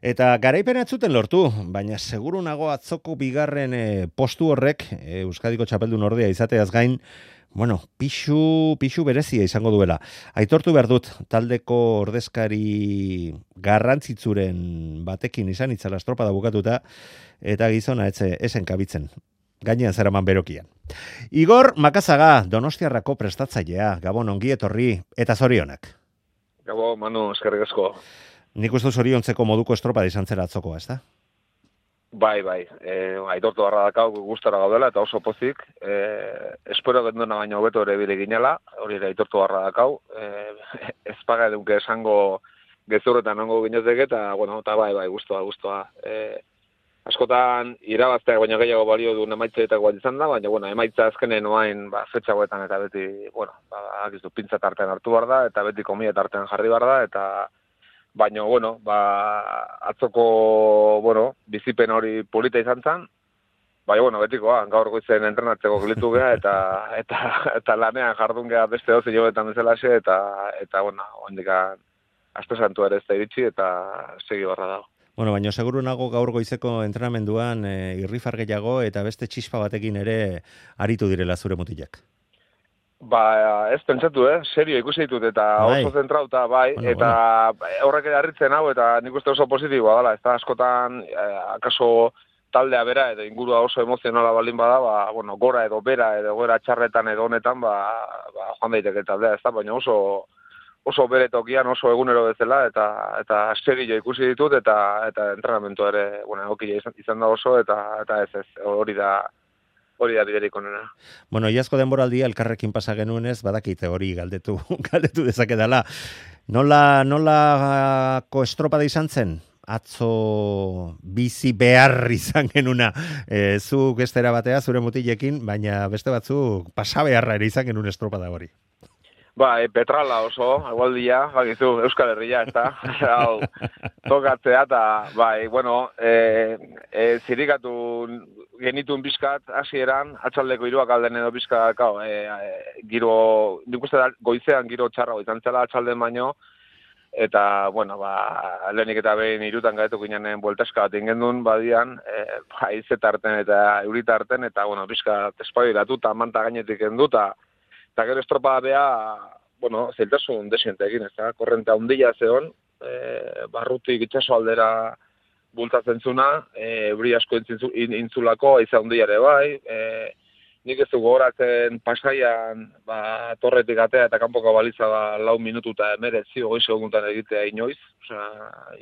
Eta garaipena ez zuten lortu, baina seguru nago atzoko bigarren postu horrek Euskadiko txapeldun ordea izateaz gain, bueno, pixu berezia izango duela. Aitortu behar dut, taldeko ordezkari garrantzitzuren batekin izan itzala estropada bukatuta, eta gizona esen kabitzen. Gainean zeraman berokian. Igor Makazaga, Donostiarrako prestatzailea, Gabon ongi etorri eta zorionak. Gabon, Manu, eskerrik asko. Nik uste zoriontzeko moduko estropada izan zera atzokoa, ez da? Bai. Aitortu barra dakau gustara gaudela eta oso pozik. Espero genduna baino hobeto ere bile ginela, hori ere aitortu barra dakau. Ez paga edunke esango gezurretan ongo ginezek eta, bueno, eta bai, guztua. Askotan irabazteak baino gehiago balio du emaitzeetako bat izan da, baina, bueno, emaitza azkenen oain, fetxagoetan eta beti, bueno, akizu, pintza tartean hartu behar da, eta beti komia tartean jarri behar da, eta baina, bueno, atzoko, bueno, bizipen hori polita izan zen, baina, bueno, betikoa, gaur goizen entrenatzeko gilitu geha, eta lanean jardun geha beste dozi jobetan bezalaxe, eta, bueno, hondikan aste santu ere ez da iritsi, eta segi barra dago. Bueno, baina seguru nago gaur goizeko entrenamenduan irrifar gehiago eta beste txispa batekin ere aritu direla zure mutilak. Ez pentsatu, serio ikusi ditut eta oso zentrauta, bai, bueno, eta horrek harritzen hau, eta nik uste oso positiboa dela, ez da askotan, akaso taldea bera, edo ingurua oso emozionala baldin bada, bueno, gora edo bera, edo gora txarretan edo honetan, joan daiteke taldea, ez da, baina oso bere tokian, oso egunero bezala, eta serio ikusi ditut, eta entrenamentu ere, bueno, egokia izan da oso, eta ez, hori da biderik onena. Bueno, iazko denboraldia elkarrekin pasa genuenez, badakite hori galdetu dezakedala. Nolako estropada izan zen? Atzo bizi behar izan genuna. Zu gestera batea, zure mutilekin, baina beste batzuk pasa beharra ere izan genuen estropada hori. Petrala oso, agualdia, bakizu, Euskal Herria, ez da, hau, tokatzea, eta, bueno, zirikatu genituen bizkat, hasieran, atxaldeko hiruak alden edo bizkat, giro, nik uste da, goizean giro txarra izan zela atxalden baino, eta, bueno, lehenik eta behin irutan gaetu ginen bueltaska bat ingendun, badian, izetarten eta euritarten, eta, bueno, bizkat, espabilatu, eta manta gainetik enduta, eta gero estropada beha, bueno, zeltasun desientekin, ez da, korrente handia zeon, barrutik itxaso aldera bultatzen zuna, euri asko intzulako, aiza handiare bai, nik ez du gogoratzen pasaian, torretik atea eta kanpoko baliza 4 minutu eta 19 segundan egitea inoiz, osea,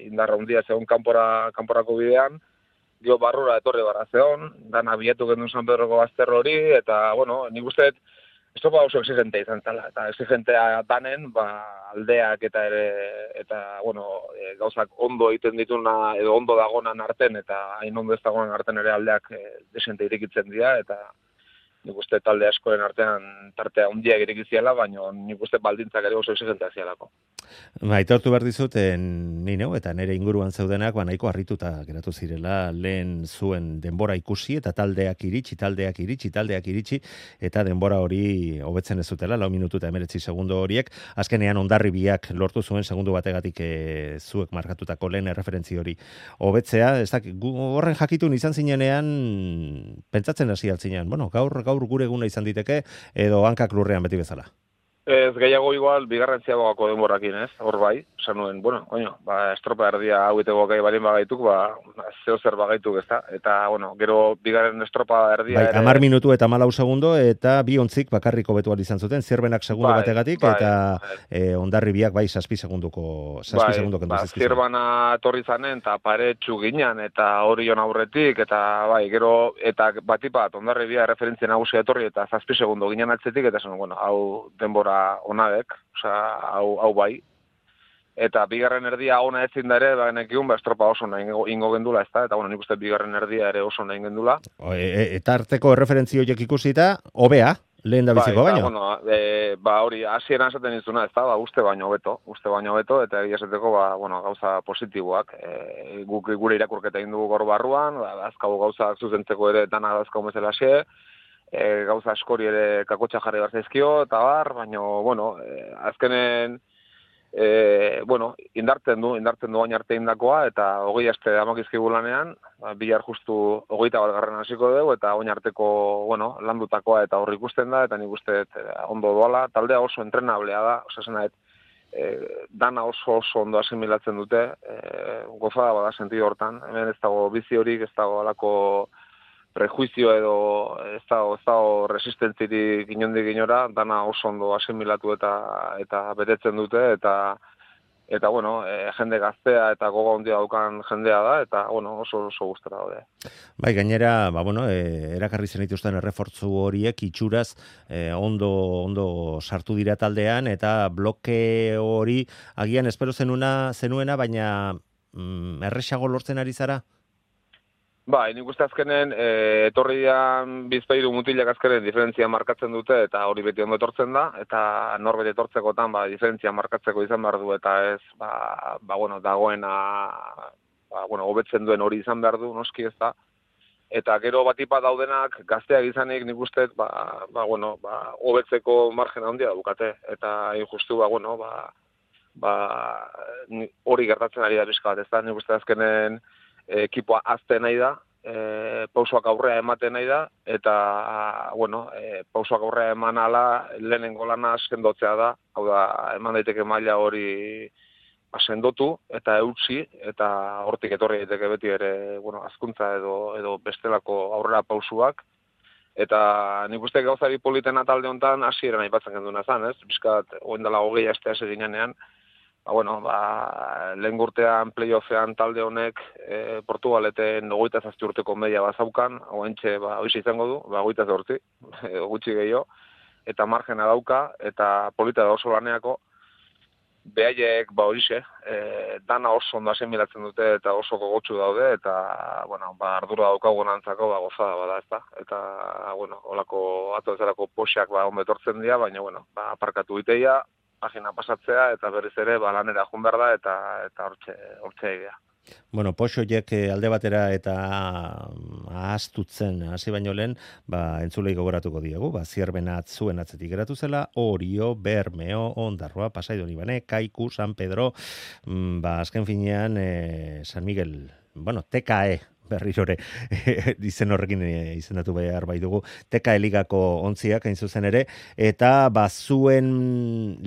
indarra handia zeon kanporako bidean, dio barrura etorri barra zeon, dana bilatu gendun San Pedroko bazter hori, eta, bueno, nik usteet, estropa oso exigentea izan zela, eta exigentea danen, aldeak eta bueno, gauzak ondo egiten dituna, edo ondo dagonan arten, eta hain ondo ez dagonan arten ere aldeak desente irikitzen dira, eta nik uste talde askoren artean tartea handiak irikiziala, baina nik uste baldintzak ere oso exigentea zialako. Aitortu behar dizut, ni neu, eta nire inguruan zeudenak, nahiko harrituta geratu zirela, lehen zuen denbora ikusi, eta taldeak iritsi, eta denbora hori hobetzen ez zutela, 4 minutu eta 19 segundo horiek, azkenean Hondarribiak lortu zuen segundu bategatik zuek markatutako lehen erreferentzi hori hobetzea, ez dakit, horren jakitun izan zinenean, pentsatzen hasi altzinean, bueno, gaur gure eguna izan diteke, edo hankak lurrean beti bezala. Ez gehiago igual, bigarren ziagoko denborakin, ez? Hor bai, esan nuen, bueno, estropa erdia haueteko gai balin bagaituk, zeo zer bagaituk, ez da? Eta, bueno, gero bigarren estropa erdia ere... 10 minutu eta 14 segundo, eta bi ontzik bakarriko betu izan zuten, zirbenak segundo bategatik, eta Hondarribiak 6 segunduko kendu zizkizuen. Zirbana torri zanen, eta paretxu ginen, eta horion aurretik, eta gero, eta batipat, Hondarribia referentzia nagusia etorri, eta 7 segundo ginen atzetik, eta esan, bueno, hau denbora onadek, hau bai. Eta bigarren erdia ona ezin da ere, nekiun, estropa oso nahi ingo gendula, ez da? Eta, bueno, nik uste bigarren erdia ere oso nahi gendula. Eta arteko erreferentzio horiek ikusita, hobea, lehen da biziko baino? Hori, hasieran esaten izuna, ez da? Uste baino beto, eta egia esateko, gauza positiboak. Gure irakurketa egin dugu gaur barruan, azkago gauzak zuzentzeko ere dana azkago bezala xe, gauza askori ere kakotxa jarri behar zaizkio, eta baina, bueno, azkenen indartzen du bain arte indakoa, eta 20 aste amakizkigu lanean, bihar justu 21. hasiko dugu, eta oin arteko, landutakoa eta hor ikusten da, eta nik uste ondo doala, taldea oso entrenablea da, osasena, dana oso ondo asimilatzen dute, gozada bada sentido hortan, hemen ez dago bizi horik, ez dago alako prejuizio edo ez dago resistentzirik inondik inora, dana oso ondo asimilatu eta betetzen dute, eta jende gaztea eta gogo handia daukan jendea da, eta oso gustora daude. Bai, gainera, erakarri zenituzten errefortzu horiek itxuraz ondo sartu dira taldean, eta bloke hori agian espero zenuena, baina erresago lortzen ari zara? Bai, nik uste azkenen, etorri dian bizpairu mutilak azkenen diferentzia markatzen dute, eta hori beti ondo etortzen da, eta norbet etortzekotan, diferentzia markatzeko izan behar du, eta ez, dagoena, hobetzen duen hori izan behar du, noski ez da. Eta gero batipa daudenak, gazteak izanik nik uste, hobetzeko margen handia daukate, eta justu, hori gertatzen ari da bizka bat, ez da, nik uste azkenen, ekipoa azte nahi da, pausoak aurrea ematen nahi da, eta, pausoak aurrea eman ala, lehenengo lana sendotzea da, hau da, eman daiteke maila hori sendotu eta eutsi, eta hortik etorri daiteke beti ere, azkuntza edo bestelako aurrera pausuak, eta nik uste gauzari politena talde honetan hasieran aipatzen genduna zan, ez? Bizkat, oindala 20 astea ginean, lehen urtean playoffean talde honek Portugaleten 27 urteko media bazaukan, hoentxe hoiz izango du, 28, gutxi gehiago, eta margena dauka, eta polita da oso laneako, behaiek horixe, dana oso ondo asimilatzen dute eta oso gogotsu daude, eta ardura daukagun antzako gozada bada, ezta? Eta, holako atoezarako poxak ondo etortzen dira, baina, aparkatu iteia, pagina pasatzea, eta berriz ere lanera joan behar da, eta hortxe egia. Poxoiek alde batera eta ahaztutzen hasi baino lehen, entzulei gogoratuko diegu, Zierbena zuen atzetik geratu zela, Orio, Bermeo, Ondarroa, Pasai Donibane, Kaiku, San Pedro, azken finean San Miguel, TKE, berrirore izen horrekin izendatu behar bai dugu, TKE ligako ontziak hain zuzen ere, eta zuen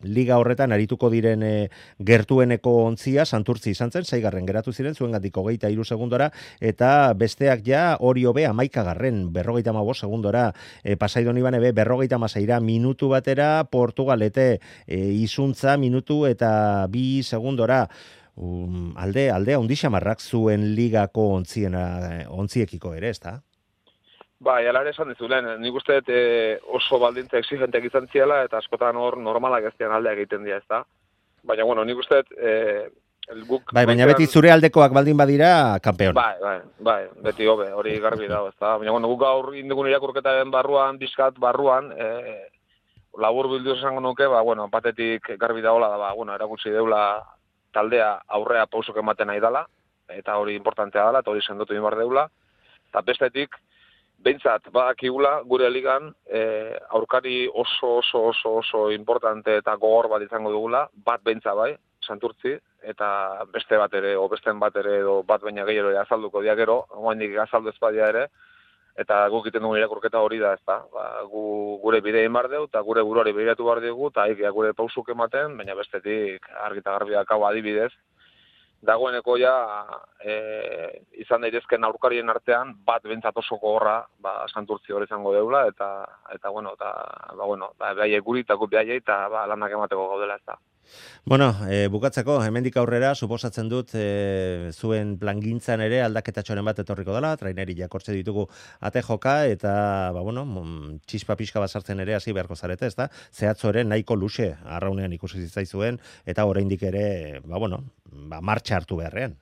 liga horretan arituko diren gertueneko ontzia Santurtzi izan zen, 6. geratu ziren, zuen gandik 23 segundora, eta besteak ja Orio B 11. 55 segundora, Pasai Donibane B 56 minutu batera, Portugalete izuntza minutu eta 2 segundora, aldea undixamarrak zuen ligako ontziekiko ere, ezta? Ala ere esan dizulen, nik uste oso baldintza exigenteak izan ziela, eta askotan hor normalak ez dian aldea egiten dira, ezta? Baina, nik uste guk... Baina beti zure aldekoak baldin badira, kampeon. Bai, beti hobe, hori garbi dago, ezta? Baina, guk gaur indigun irakurketaren barruan, labur bildu esango nuke, batetik garbi dagoela, erakutsi deula taldea aurrea pausok ematen nahi dela, eta hori importantea dela, eta hori sendotu inbar deula, eta bestetik, behintzat, badakigula, gure ligan, aurkari oso importante eta gogor bat izango dugula, bat behintzat bai, Santurtzi, eta beste bat ere, o besten bat ere, edo bat baina gehiago azalduko diagero, oaindik azaldu ezpadia ere, eta guk egiten dugun irakurketa hori da, ezta? Gure bidea inbar deu, eta gure buruari begiratu behar dugu, eta gure pausuk ematen, baina bestetik argita garbiak hau adibidez, dagoeneko izan daitezken aurkarien artean, bat bentsat oso gogorra, Santurtzi hori izango deula, eta behaiek guri, eta guk behaiek, eta lanak emateko gaudela, ezta. Bukatzeko, hemendik aurrera, suposatzen dut, zuen plangintzan ere aldaketatxoren bat etorriko dela, traineri jakortze ditugu ate joka, eta, txispa pixka bat sartzen ere hasi beharko zarete, ezta? Zehatzo ere nahiko luxe, arraunean ikusi zitzaizuen, eta oraindik ere, martxa hartu beharrean.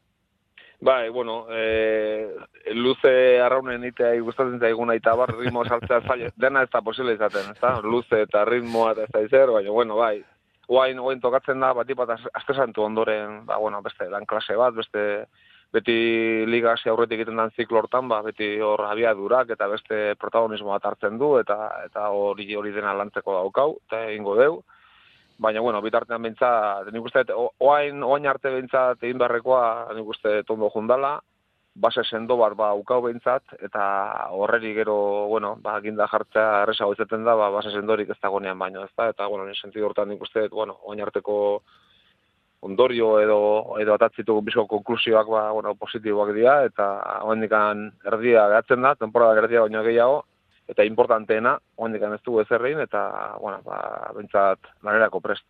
Luze arraunen itea gustatzen zaiguna eta ritmo saltzea zaila, dena ez da posible izaten, ezta? Luze eta ritmoa eta ez da izer, baina, Oain tokatzen da, bat astesantu ondoren, beste lan klase bat, beti liga hasi aurretik egiten den ziklo hortan, beti hor abiadurak eta beste protagonismo bat hartzen du, eta hori dena lantzeko daukau, eta egingo deu. baina, bueno, bitartean behintzat, nik uste, oain arte behintzat egin beharrekoa, nik uste, tondo jundala, base sendo bat ukau behintzat, eta horreri gero, bueno, ginda jartzea erresago izaten da, base sendorik ez dagoenean baino, ez da, eta, bueno, nire sentidu hortan nik uste, bueno, oain arteko ondorio edo atatzitu bizko konklusioak, bueno, positiboak dira, eta oaindikan erdia gehatzen da, temporada erdia baino gehiago, eta importanteena, oaindikan ez dugu ezerrein, eta, bueno, behintzat lanerako prest.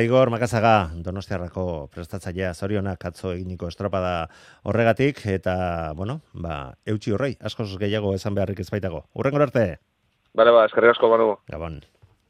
Igor Makazaga, Donostiarrako prestatzailea, zorionak atzo eginiko estropada horregatik, eta, bueno, eutxi horrei, askoz gehiago esan beharrik ez baitago. Hurrengor arte! Bale, eskerrik asko, Manu. Gabon.